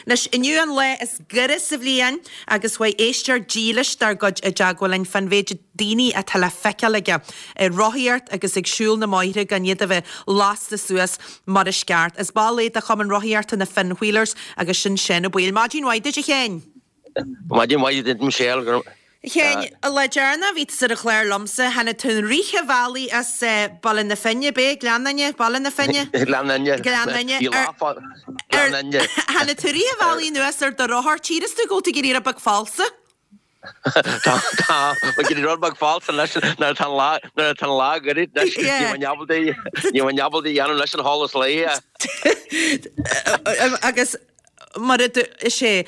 Anois, inniu an lá is gaire sa bhliain agus chuaigh éisteoir dílis dár gcuid i dteagmháil linn fán mhéid daoine atá le feiceáil aige ag rothaíocht agus ag siúl na mbóithre gan iad a bheith lasta suas mar is ceart. Is ball é de Chumann Rothaíochta na Finn Wheelers agus sin Seán Ó Baoill. Maidin mhaith duit a Sheáin! Maidin mhaith duit Michelle. A Sheáin, an lá deireanach a bhí tusa ar an chlár liomsa, tháinig tú an rith an bhealaigh as Baile na Finne, b'é? Gleann Fhinne? Baile na Finne? Gleann Fhinne. Gleann Fhinne. Bhí lá fá Gleann Fhinne. Tháinig tú rith an bhealaigh anuas ar do rothar, tchíreas tú go bhfuil tú ag éirí rud beag falsa. Tá, tá, ag éirí rud beag falsa anois nuair atá an lá, nuair atá an lá goirid anois, ní bheinn ábalta, ní bheinn ábalta a dhéanamh leis an sholas lae. Agus mar a is é,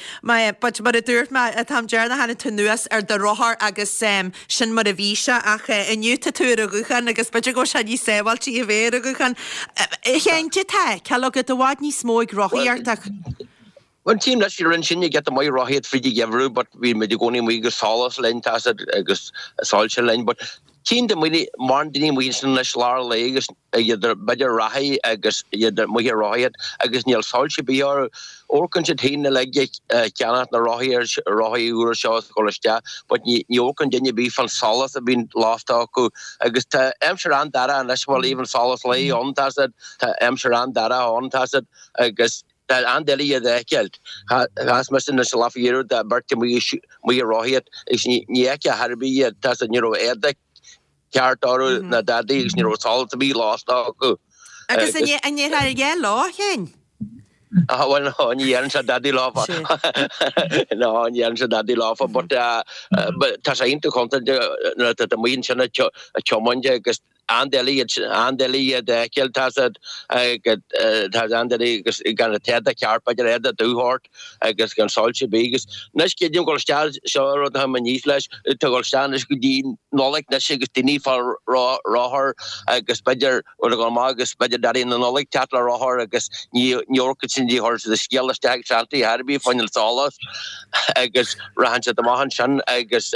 but mar a dúirt mé, an t-am deireanach tháinig tú anuas ar do rothar agus sin mar a bhí sé ach inniu tá tú ar an ghuthán agus b'fhéidir go bhfuil sé níos sábháilte a bheith ar an ghuthán. A Sheáin, cad é atá á fheiceáil agat i bhfad níos mó ag rothaíocht ach. Bhuel, tchím leis, rinne sinne giota maith rothaíocht fríd an gheimhreadh but bhí muid i gcónaí amuigh agus solas linn, tá 'fhios a'd, agus soilse linn but tchím do mhaoine, mórán daoine amuigh ansin anois lár an lae agus iad ar, b'fhéidir reathaí agus iad amuigh ag rothaíocht agus níl soilse ar bith orthu. Amharcann siad féin uilig ag ceannacht na rothaí ar, rothaí úra seo is ag dul isteach but ní, ní amharcann duine ar bith fán solas a bhíonn lasta acu agus tá aimsir an-dorcha anois, bhuel even solas lae ann, tá 'fhios a'd, tá aimsir an-dorcha ann, tá 'fhios a'd, agus. Tá an-doiligh iad a fheiceáil. Chas mise anois an lá faoi dheireadh do bheirt amuigh amuigh ag rothaíocht agus ní fheicfeá ar chor ar bith iad. Tá 'fhios a'd, ní raibh éadaí ceart orthu ná dadaí agus ní raibh solas ar bith lasta acu. Agus an ndéarfá a dhath leo, a Sheáin? Ah bhuel no, ní dhéarfainnse dadaí leofa. No, ní dhéarfainnse dadaí leofa but tá sé iontach contúirteach nuair atá tú amuigh ansin ag tiomáint agus an-doiligh iad, an-doiligh iad a fheiceáil, tá 'fhios a'd, tá an-doiligh agus gan an t-éadach ceart, b'fhéidir éadach dubh ort agus gan soilse ar bith agus anois creidim ag dul isteach, seo an rud atá mé aníos leis, tá ag dul isteach anois go dtí Nollaig anois agus daoine fá rothar agus b'fhéidir rud ag dul amach agus b'fhéidir Daidí na Nollag teacht le rothar agus ní ní amharcann siad ní chuireann siad an scéal isteach ag Santaí ar bith fá choinne an solas agus rachann siad amach ansin agus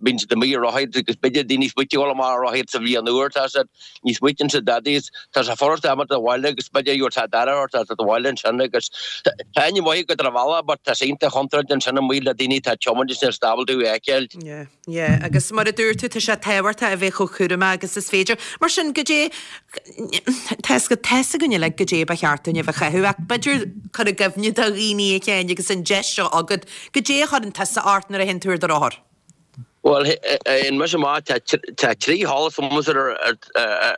Bíonn siad amuigh ag rothaíocht agus b'fhéidir daoine smaointe ag dul amach ag rothaíocht sa bhliain úr, tá 'fhios a'd, ní smaoitíonn siad dadaí is tá sé furasta imeacht abhaile agus b'fhéidir gheobhaidh sé dara ort as abhaile ansin agus tá aithne mhaith agat ar an bhealach but tá sé iontach chontúirteach ansin amuigh le daoine atá ag tiomáint is níl siad ábalta tú a fheiceáil. Yeah, yeah agus mar a dúirt tú tá sé tábhachtach a bheith chomh cúramach agus is féidir. Mar sin goidé, tá 'fhios againn uilig goidé ba cheart dúinn a bheith a chaitheamh ach b'fhéidir cur i gcuimhne do dhaoine a Sheáin agus an deis seo agat, goidé a chuireann tusa ort nuair a théann tú ar do rothar? Bhuel, théann mise amach, tá trí sholas agamsa ar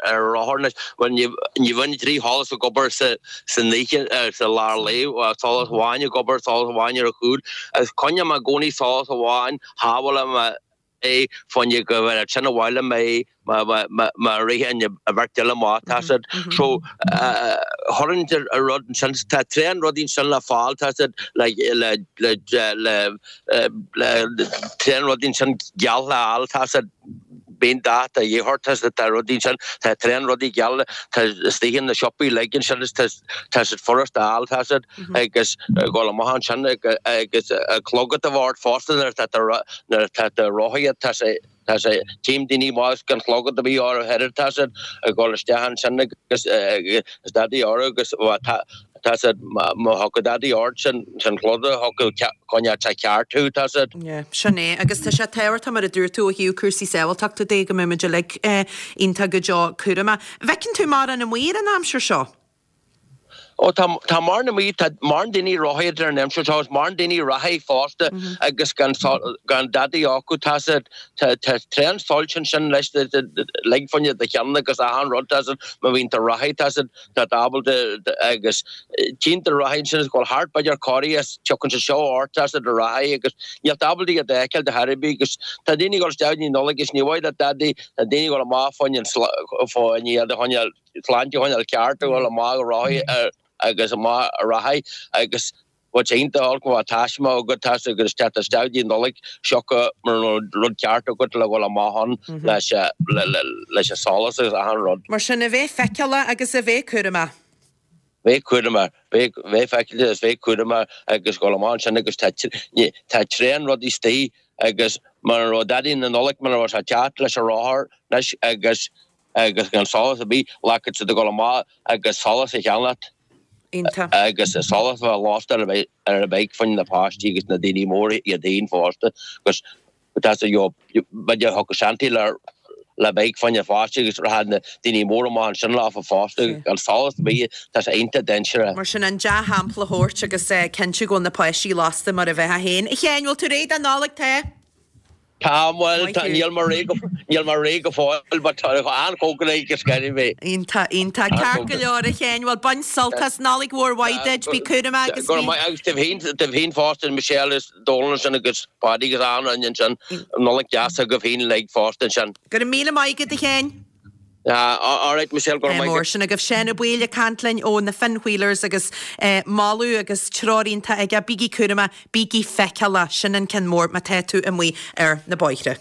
an rothar anois. Bhuel, ní bhíonn trí sholas ag obair san oíche, sa lár lae, solas amháin ag obair, solas amháin ar an chúl. Agus coinním i gcónaí solas amháin, shábhálaim é fá choinne go bhfuil sin abhaile mé má ritheann an bheirt eile amach, tá 'fhios a'd. So, chuireann an rud ansin, tá tréan rudaí ansin le fáil, tá 'fhios a'd, le, le, le, le, le, tréan rudaí ansin geal le fháil, tá 'fhios a'd, bíonn dath de dhíth ort, tá 'fhios a'd, tá rudaí ansin, tá tréan rudaí geal, tá istigh in na siopaí uilig ansin is tá, tá siad furast a fháil, tá 'fhios a'd, agus dhul amach ansin agus clogad a bheith ort fosta nuair atá tú, nuair atá tú ag rothaíocht, tá sé. Tá sé, tchím daoine maith gan chlogad a bhí orthu thoir, tá siad ag dul isteach ansin agus is dadaí orthu agus tá tá siad má thiocfadh dadaí ort sin sin clogad a thiocfadh coinneáil sé ceart thú, tá siad. Yeah, sin é. Agus tá sé tábhachtach mar a dúirt tú ó thaobh cúrsaí sábháilteachta de go mbeidh muid uilig iontach go deo cúramach. An bhfeiceann tú mórán amuigh ar an aimsir seo? Ó tá, tá mórán amuigh, tá mórán daoine ag rothaíocht ar an aimsir seo, is mórán daoine reathaí fosta agus gan, gan dadaí acu, tá siad, tá, tá tréan soilse ansin leis, lig fá choinne do cheann agus achan rud, tá siad, má bhíonn tú reathaí, tá siad, tá tú ábalta agus tchíonn tú reathaí ansin is go bhfuil thart b'fhéidir corraí is tiocfaidh siad seo ort, tá siad reathaí agus níl tú ábalta iad a fheiceáil de chor ar bith agus tá daoine ag dul isteach i ndiaidh Nollag agus ní mhaith le dadaí, tá daoine ag dul amach fá choinne, fá choinne iad a choinneáil. sláinte a choinneáil ceart a dhul amach ag rothaí agus amach ag reathaí agus bheadh sé iontach olc má bheadh taisme agat tá agus teacht isteach dtí an Nollaig sioca mura raibh rud ceart agat le dhul amach ann leis leis an solas agus achan rud. Mar sin, a bheith feiceálach agus a bheith cúramach. Bheith cúramach, bheith feiceálach agus bheith cúramach agus dhul amach ansin agus tá tá tréan rudaí istigh agus mura raibh Daidí na Nollag mura raibh sé teacht leis an rothar anois agus agus gan solas ar bith, ghlacfadh siad ag dul amach agus solas a cheannacht. Iontach. Agus solas a bheith lasta ar an bike fá choinne na páistí agus na daoine móra iad féin fosta agus tá sé you know b'fhéidir thiocfadh Shanty le le bike fá choinne pháistí agus rachadh na daoine móra amach ansin leofa fosta gan solas ar bith tá sé iontach dainséarach. Mar sin an dea-shampla a thabhairt agus cinntiú go bhfuil na páistí lasta mar a bheifeá féin. A Sheáin, bhfuil tú réidh don Nollaig? Tá. Tá, bhuel, tá, níl mé réidh go, níl mé réidh go fóill but tá an-chóngarach go scairfidh mé. Iontach, iontach. Ceart go leor, a Sheáin. Bhuel, bain sult as. Nollaig mhór mhaith duit. Bí cúramach agus bí. Go raibh maith agat daoibh féin, daoibh féin fosta, Michelle is Dónal ansin agus Páidí agus achan duine ansin. Nollaig deas agaibh féin uilig fosta ansin. Go raibh míle maith agat, a Sheáin. Alright Michelle, go raibh maith agat. Sin agaibh Seán Ó Baoill ag caint linn ó na Finn Wheelers agus moladh agus treoir iontach aige, bígí cúramach, bígí feiceálach, sin an ceann mór má tá tú amuigh ar na bóithre.